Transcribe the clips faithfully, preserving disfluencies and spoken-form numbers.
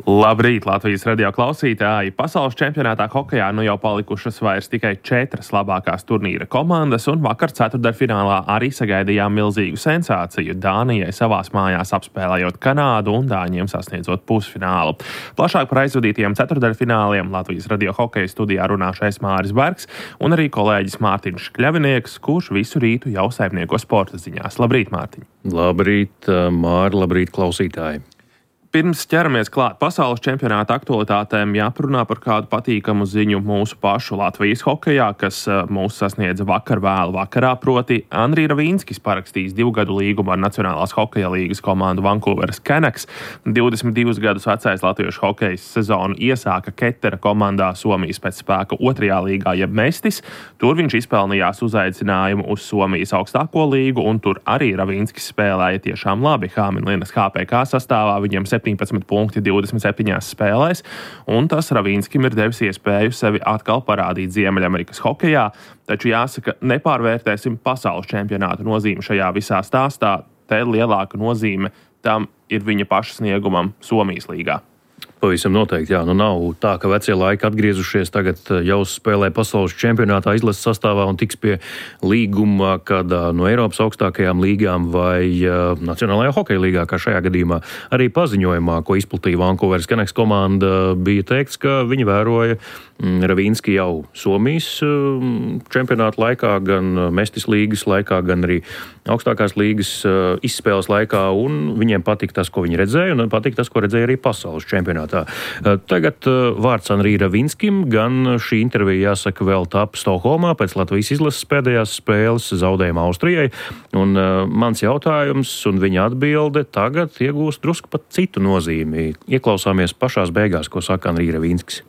Labrīt, Latvijas radio klausītāji! Pasaules čempionātā hokejā nu jau palikušas vairs tikai četras labākās turnīra komandas, un vakar ceturtdaļfinālā arī sagaidījām milzīgu sensāciju Dānijai savās mājās apspēlējot Kanādu un dāņiem sasniedzot pusfinālu. Plašāk par aizvadītajiem ceturtdaļfināliem Latvijas radio hokeja studijā runāšais Māris Bergs un arī kolēģis Mārtiņš Kļavinieks, kurš visu rītu jau saimnieko sporta ziņās. Labrīt, Mārtiņ! Labrīt, Māri, labrīt, klausītāji! Pirms ķeramies klāt pasaules čempionāta aktualitātēm, jāparunā par kādu patīkamu ziņu mūsu pašu Latvijas hokejā, kas mūs sasniedza vakar vēlu vakarā, proti Andrij Ravīnskis parakstījis divu gadu līgumu ar Nacionālās hokeja līgas komandu Vancouveras Canucks. divdesmit divus gadus vecais latviešu hokejs sezonu iesāka Ketera komandā Somijas pēc spēka otrajā līgā jeb Mestis. Tur viņš izpelnījās uzaicinājumu uz Somijas augstāko līgu, un tur arī Ravīnskis spēlēja tiešām labi. Hāminlinas H P K sastāvā viņam septiņpadsmit punkti divdesmit septiņās spēlēs, un tas Ravīnskim ir devis iespēju sevi atkal parādīt Ziemeļamerikas hokejā, taču jāsaka, nepārvērtēsim pasaules čempionāta nozīmi šajā visā stāstā. Te lielāka nozīme tam ir viņa paša sniegumam Somijas līgā. Pavisam noteikti, jā. Nu nav tā, ka vecie laiki atgriezušies, tagad jau spēlē pasaules čempionātā izlases sastāvā un tiks pie līguma kādā no Eiropas augstākajām līgām vai uh, Nacionālajā hokeja līgā, kā šajā gadījumā. Arī paziņojumā, ko izplatīja Vancouveras Canucks komanda, bija teikts, ka viņi vēroja mm, Ravīnski jau Somijas mm, čempionāta laikā, gan Mestis līgas laikā, gan arī augstākās līgas uh, izspēles laikā, un viņiem patika tas, ko viņi redzēja, un patika tas, ko redzēja arī pasaules čempionātā. Tagad vārds Andrij Ravīnskim, gan šī intervija, jāsaka, vēl tapa Stokholmā pēc Latvijas izlases pēdējās spēles zaudējuma Austrijai. Un uh, mans jautājums un viņa atbilde tagad iegūst drusku pat citu nozīmi. Ieklausāmies pašās beigās, ko saka Andrij Ravīnskis.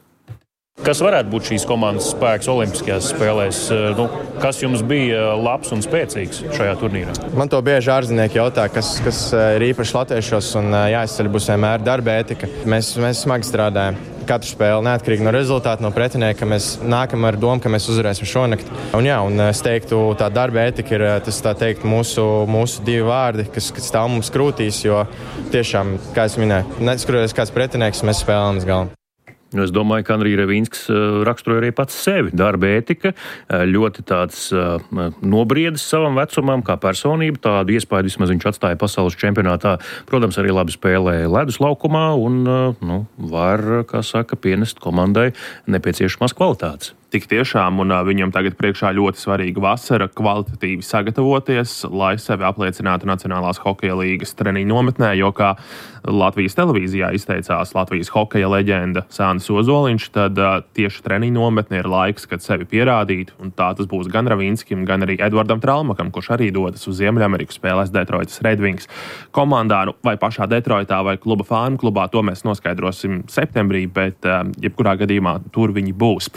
Kas varētu būt šīs komandas spēks olimpiskajās spēlēs? Nu, kas jums bija labs un spēcīgs šajā turnīrā? Man to bieži ārzemnieki jautā, kas, kas ir īpaši latviešos, un jāizceļ būs vienmēr darba etika. Mēs, mēs smagi strādājam. Katru spēli, neatkarīgi no rezultātu, no pretinieka, mēs nākam ar domu, ka mēs uzvarēsim šonakt. Un jā, un es teiktu, tā darba etika ir, tas tā teikt, mūsu, mūsu divi vārdi, kas, kas stāv mums krūtīs, jo tiešām, kā es minēju, neskatoties kāds pretinieks, mēs spēlējam uz galvu. Es domāju, ka Andrij Ravīnskis raksturoja arī pats sevi. Darba ētika, ļoti tāds nobriedis savam vecumam, kā personība. Tādu iespēju vismaz viņš atstāja pasaules čempionātā. Protams, arī labi spēlēja ledus laukumā un nu, var, kā saka, pienest komandai nepieciešamās kvalitātes. Tik tiešām, un viņam tagad priekšā ļoti svarīga vasara kvalitatīvi sagatavoties, lai sevi apliecinātu Nacionālās hokeja līgas treniņu nometnē, jo kā Latvijas televīzijā izteicās Latvijas hokeja leģenda Sānis Ozoliņš, tad uh, tieši treniņu nometne ir laiks, kad sevi pierādīt, un tā tas būs gan Ravīnskim, gan arī Edvardam Tralmakam, kurš arī dodas uz Ziemeļameriku spēlēs Detroitas Red Wings komandā, nu, vai pašā Detroitā vai kluba Farm klubā, to mēs noskaidrosim septembrī, bet uh, jebkurā gadījumā tur viņi būs.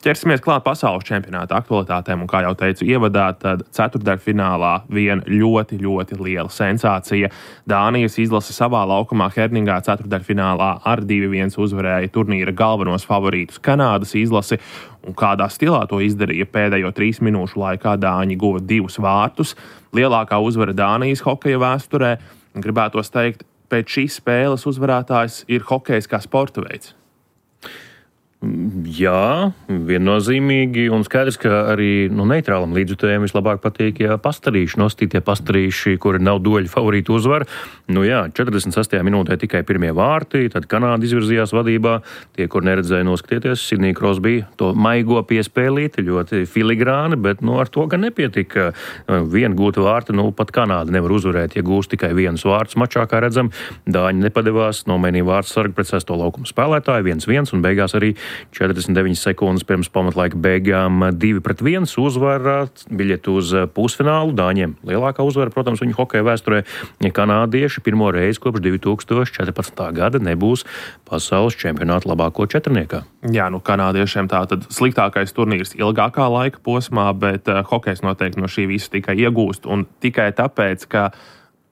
Ķersimies klāt pasaules čempionāta aktualitātēm, un kā jau teicu ievadā, tad ceturtdaļfinālā viena ļoti, ļoti liela sensācija. Dānijas izlase savā laukumā Herningā ceturtdaļfinālā ar divi viens uzvarēja turnīra galvenos favorītus Kanādas izlasi, un kādā stilā to izdarīja pēdējo trīs minūšu laikā Dāņi guva divus vārtus. Lielākā uzvara Dānijas hokeja vēsturē, gribētos teikt, pēc šīs spēles uzvarētājs ir hokejs kā sporta veids. Jā, viennozīmīgi, un skaidrs, ka arī nu, neitrālam līdzjutējiem vislabāk patīk, ja pastarīši nostītie pastarīši, kuri nav doļi favorītu uzvaru. Nu jā, četrdesmit sestajā minūtē tikai pirmie vārti, tad Kanāda izvirzījās vadībā. Tie, kur neredzēja noskatieties, Sidney Crosby to maigo piespēlīti, ļoti filigrāni, bet nu, ar to gan nepietika. Vienu gūtu vārtu, nu pat Kanāda nevar uzvarēt, ja gūst tikai vienus vārtus mačā, kā redzam. Dāņi nepadevās, nomainīja vārtu sargu pret sesto laukumu spēlētāju, viens viens, un beigās arī četrdesmit deviņas sekundes pirms pamatlaika beigām divi pret viens uzvara, biļetu uz pusfinālu. Dāņiem lielākā uzvara, protams, viņu hokeja vēsturē. Kanādieši pirmo reizi kopš divi tūkstoši četrpadsmitā gada nebūs pasaules čempionāta labāko četrniekā. Jā, nu kanādiešiem tā tad sliktākais turnīrs ilgākā laika posmā, bet uh, hokejs noteikti no šī visa tikai iegūst, un tikai tāpēc, ka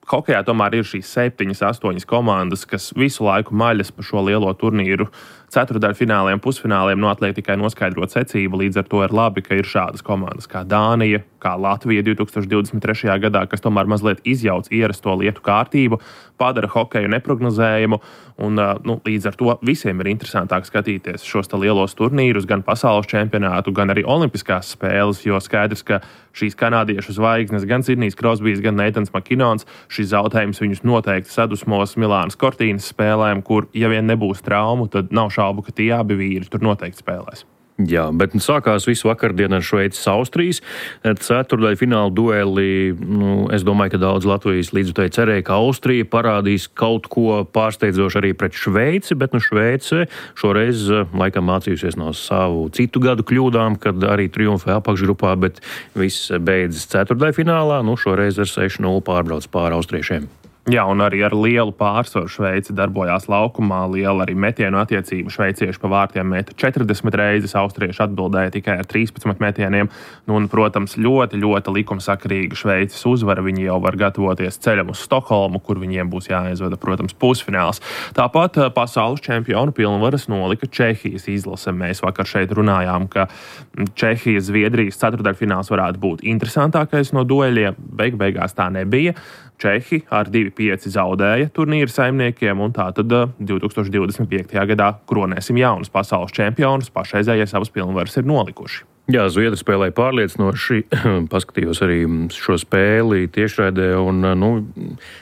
hokejā tomēr ir šīs septiņas, astoņas komandas, kas visu laiku maļas pa šo lielo turnīru ceturtdaļfināliem, pusfināliem, nu atliek tikai noskaidrot secību, līdz ar to ir labi, ka ir šādas komandas kā Dānija, kā Latvija divtūkstoš divdesmit trešajā gadā, kas tomēr mazliet izjauc ierasto lietu kārtību, padara hokeju neprognozējumu, un nu, līdz ar to visiem ir interesantāk skatīties šos lielos turnīrus, gan pasaules čempionātu, gan arī olimpiskās spēles, jo skaidrs, ka šīs kanādiešu zvaigznes, gan Sidnijs Krosbijs, gan Neitans Makinons, šis zaudējums viņus noteikti sadusmos Milānas Cortīnas spēlēm, kur, ja vien nebūs traumu, tad nav šaubu, ka tie abi vīri tur noteikti spēlēs. Jā, bet sākās visu vakardienu ar Šveices Austrijas ceturtdaļu fināla dueli. Nu, es domāju, ka daudz Latvijas līdzjutēji cerēja, ka Austrija parādīs kaut ko pārsteidzošu arī pret Šveici, bet nu Šveice šoreiz laikam mācījusies no savu citu gadu kļūdām, kad arī triumfē apakšgrupā, bet viss beidzas ceturtdaļu finālā. Nu, šoreiz ar seši nulle pārbrauc pāri austriešiem. Jā, un arī ar lielu pārsvaru Šveice darbojās laukumā, liela arī metienu attiecība. Šveicieši pa vārtiem meta četrdesmit reizes, austrieši atbildēja tikai ar trīspadsmit metieniem. Nu, un, protams, ļoti, ļoti likumsakarīga Šveices uzvara. Viņi jau var gatavoties ceļam uz Stokholmu, kur viņiem būs jāizvada, protams, pusfināls. Tāpat pasaules čempionu pilnvaras nolika Čehijas izlase. Mēs vakar šeit runājām, ka Čehijas Zviedrijas ceturtdaļfināls varētu būt interesantākais no dueļiem. Beig beigās tā nebija. Čehi ar divi pieci zaudēja turnīra saimniekiem, un tā tad divtūkstoš divdesmit piektajā gadā kronēsim jaunus pasaules čempionus, pašreizējie savas pilnvaras ir nolikuši. Jā, Zviedri spēlēja pārliecinoši, paskatījos arī šo spēli tiešraidē, un nu,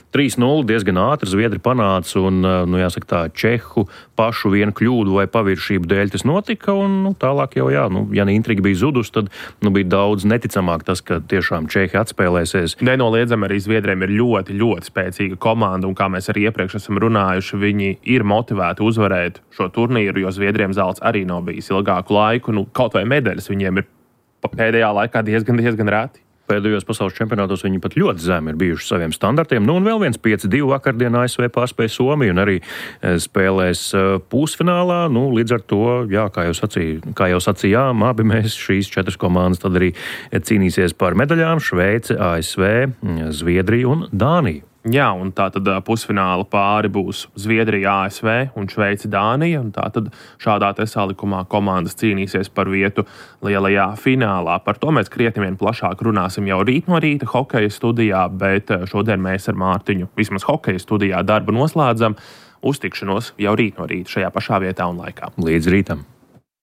trīs nulle diezgan ātri Zviedri panāca, un, nu, jāsaka tā, Čehu pašu vienu kļūdu vai paviršību dēļ tas notika, un nu, tālāk jau, jā, nu, ja intriga bija zudus, tad nu, bija daudz neticamāk tas, ka tiešām Čehi atspēlēsies. Nenoliedzami arī Zviedriem ir ļoti, ļoti spēcīga komanda, un kā mēs arī iepriekš esam runājuši, viņi ir motivēti uzvarēt šo turnīru, jo Zviedriem zelts arī nav bijis ilgāku laiku, nu, kaut vai medaļas viņiem ir pēdējā laikā diezgan, diezgan rēti. Pēdējos pasaules čempionātos viņi pat ļoti zemi ir bijuši saviem standartiem. Nu, un vēl viens pieci divi vakardien A S V pārspēja Somiju un arī spēlēs pusfinālā. Nu, līdz ar to, jā, kā jau sacīja, kā jau sacījām, abi mēs šīs četras komandas tad arī cīnīsies par medaļām. Šveice, A S V, Zviedrija un Dānija. Jā, un tā tad pusfināla pāri būs Zviedrija, A S V un Šveice, Dānija, un tā tad šādā te salikumā komandas cīnīsies par vietu lielajā finālā. Par to mēs krietni vien plašāk runāsim jau rīt no rīta hokeja studijā, bet šodien mēs ar Mārtiņu vismaz hokeja studijā darbu noslēdzam. Uz tikšanos jau rīt no rīta šajā pašā vietā un laikā. Līdz rītam!